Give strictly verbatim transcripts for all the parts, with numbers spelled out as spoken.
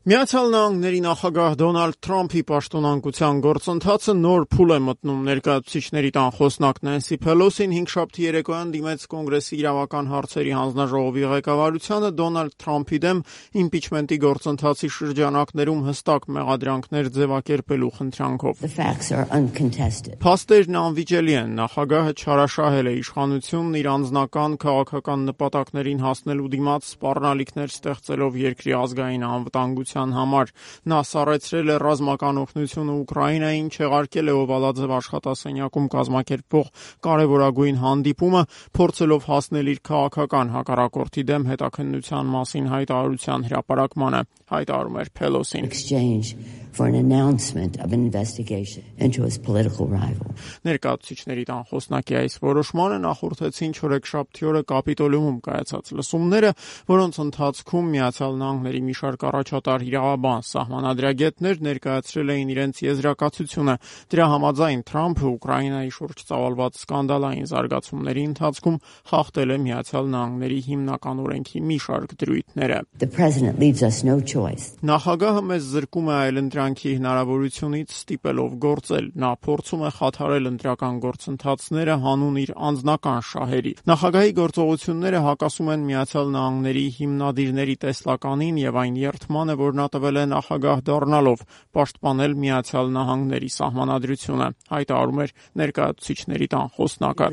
Միացյալ Նահանգների նախագահ Դոնալդ Թրամփի պաշտոնանկության գործընթացը նոր փուլ է մտնում։ Ներկայացուցիչների տան խոսնակ Նենսի Փելոսին հինգշաբթի երեկոյան դիմեց Կոնգրեսի իրավական հարցերի հանձնաժողովի ղեկավարությանը Դոնալդ Թրամփի դեմ իմպիչմենտի գործընթացի շրջանակներում հստակ մեղադրանքներ ձևակերպելու խնդրանքով։ Փաստերն անվիճելի են։ Նախագահը չարաշահել է իշխանությունն իր անձնական քաղաքական նպատակներին հասնելու դիմաց սպառնալիքներ ստեղծելով երկրի ազգային անվտանգության համար։ Նա սառեցրել է ռազմական օգնությունը Ուկրաինային, չեղարկել է Օվալաձև աշխատասենյակում կազմակերպվող կարևորագույն հանդիպումը, փորձելով հասնել իր քաղաքական հակառակորդի դեմ հետաքննության մասին հայտարարության հրապարակմանը, հայտարարում էր Փելոսին։ Ներկայացուցիչների տան խոսնակի այս որոշմանը նախորդեցին չորեքշաբթի օրը Կապիտոլիումում կայացած լսումները, որոնց ընթացքում Միացյալ Նահանգների մի շարք առաջատար իրավաբան սահմանադրագետներ ներկայացրել էին իրենց եզրակացությունը։ Դրա համաձայն Թրամփը Ուկրաինայի շուրջ ծավալված սկանդալային զարգացումների ընթացքում խախտել է Միացյալ Նահանգների հիմնական օրենքի մի շարք դրույթները։ Նախագահը մեզ զրկում է այլընտրանքի հնարավորությունից ստիպելով գործել։ Նա փորձում է խաթարել ընտրական գործընթացները հանուն իր անձնական շահերի։ Նախագահի գործողությունները հակասում են Միացյալ Նահանգների հիմնադիրների տեսլականին եւ այն երդմանը, որ նա տվել է նախագահ դառնալով պաշտպանել Միացյալ Նահանգների սահմանադրությունը, հայտարարում էր ներկայացուցիչների տան խոսնակը։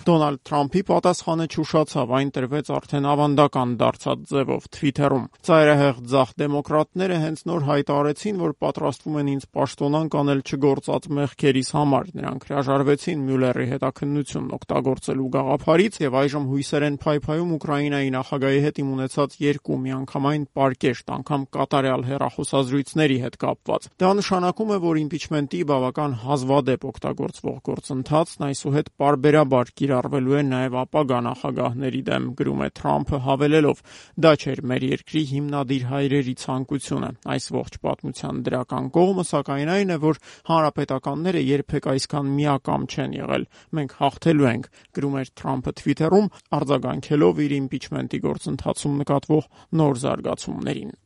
Դոնալդ Թրամփի պատասխանը չուշացավ, այն տրվեց արդեն ավանդական դարձած ձևով Թվիթերում։ Ծայրահեղ ձախ դեմոկրատները հենց նոր հայտարարեցին, որ պատրաստվում են ինձ պաշտոնանկ անել չգործած մեղքերիս համար։ Նրանք հրաժարվեցին Մյուլլերի հետաքննությունն օգտագործելու գաղափարից եւ այժմ հույսեր են փայփայում Ուկրաինայի նախագահի հետ իմ ունեցած երկու միանգամայն պարկեշտ, անգամ կատարյալ հեռախոսազրույցների հետ կապված։ Դա նշանակում է, որ իմպիչմենտի բավական հազվադեպ օգտագործվող գործընթացն այսուհետ պարբերաբար կիրառվելու է նաև ապագա նախագահների դեմ, գրում է Թրամփը հավելելով. դա չէր մեր երկրի հիմնադիր հայրերի ցանկությունը։ Այս ողջ պատմության դրական կողմը սակայն այն է, որ հանրապետականները երբեք այսքան միակամ չեն եղել։ Մենք հաղթելու ենք, գրում էր Թրամփը Թվիթերում, արձագանքելով իր իմպիչմենտի գործընթացում նկատվող նոր զարգացումներին։